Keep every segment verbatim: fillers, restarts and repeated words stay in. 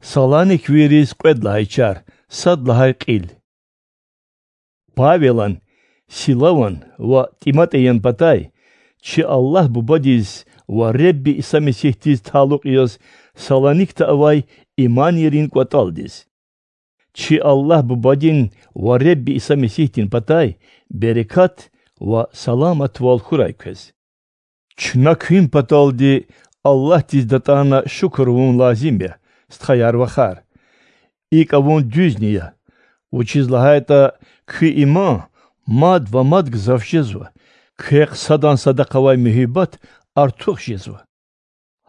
Саланиквийриз кьвед лагьай чар, сад лагьай кьил. Павелан, Силаван ва ТӀиматӀиян патай, чи Аллагь Бубадиз ва Худа Иса Месигьдиз талукь яз Саланикда авай иманийрин кӀватӀалдиз. Чи Аллагь Бубадин ва Худа Иса Месигьдин патай берекат ва саламатвал хьурай квез. Чна куьн паталди Аллагьдиз датӀана шукур авун лазим я, стхаяр-вахар. ИкӀ авун дуьзни я, вучиз лагьайтӀа куь иман мад ва мад гзаф жезва, квехъ садан садахъ авай муьгьуьббат артух жезва.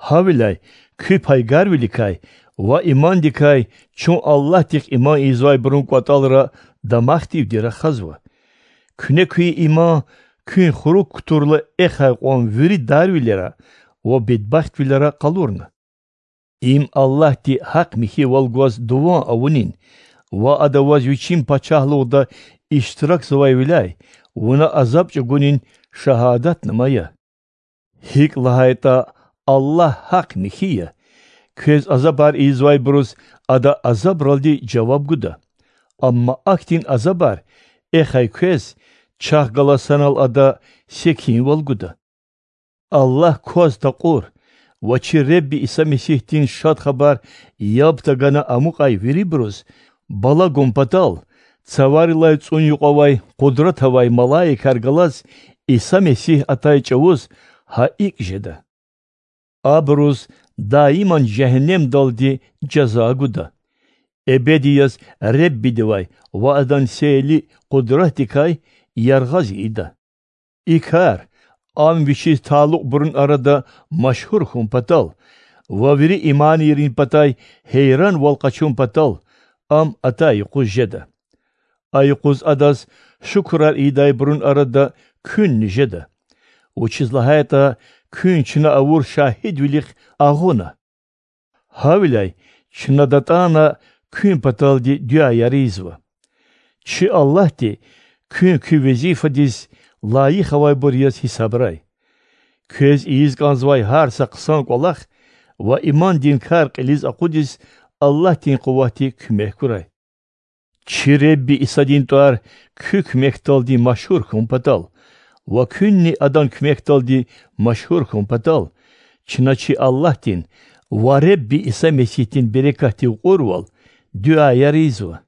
Гьавиляй куь пайгарвиликай ва имандикай чун Аллагьдихъ иман ийизвайбурун кӀватӀалра дамахдивди рахазва. Куьне куь иман куьн хурук кутурла эхай кьван вири дарвилера ва бедбахтвилера къалурна. Им Аллагьди гьахъ-михьивал гваз дуван авунин ва Ада ваз Вичин пачагьлугъда иштиракзавайвиляй вуна азаб чӀугунин шагьадатнама я. ГьикӀ лагьайтӀа Аллагь гьахъ-михьи я, квез азабар ийизвайбуруз Ада азабралди жаваб гуда, амма ахьтин азабар эхай квез, чахъ галаз санал Ада секинвал гуда. Аллагь кваз такьур ва чи Худа Иса Месигьдин Шад Хабар яб тагана амукьай вирибуруз бала гун патал, цаварилай цӀун юкьвавай къудрат авай малаикар галаз Иса Месигь атай чӀавуз гьа икӀ жеда. Абуруз даиман жегьеннемдалди жаза гуда, эбеди яз Худадивай ва Адан сейли къудратдикай яргъаз ийида. И кар Ам Вичиз талукьбурун арада машгьур хьун патал ва вири иманийрин патай гьейранвал къачун патал Ам атай юкъуз жеда. А юкъуз Адаз шукурар ийидайбурун арада куьнни жеда, вучиз лагьайтӀа куьн чна авур шагьидвилихъ агъуна. Гьавиляй чна датӀана куьн паталди дуьаяр ийизва. Чи Аллагьди куьн куь везифадиз лайих авайбур яз гьисабрай. Квез ийиз кӀанзавай гьар са хъсан кӀвалах ва имандин кар кьилиз акъудиз Аллагьдин къуватди куьмек гурай. Чи Худа Исадин тӀвар куь куьмекдалди машгьур хьун патал ва куьнни Адан куьмекдалди машгьур хьун патал, чна чи Аллагьдин ва Худа Иса Месигьдин берекатдив кьурвал дуьаяр ийизва.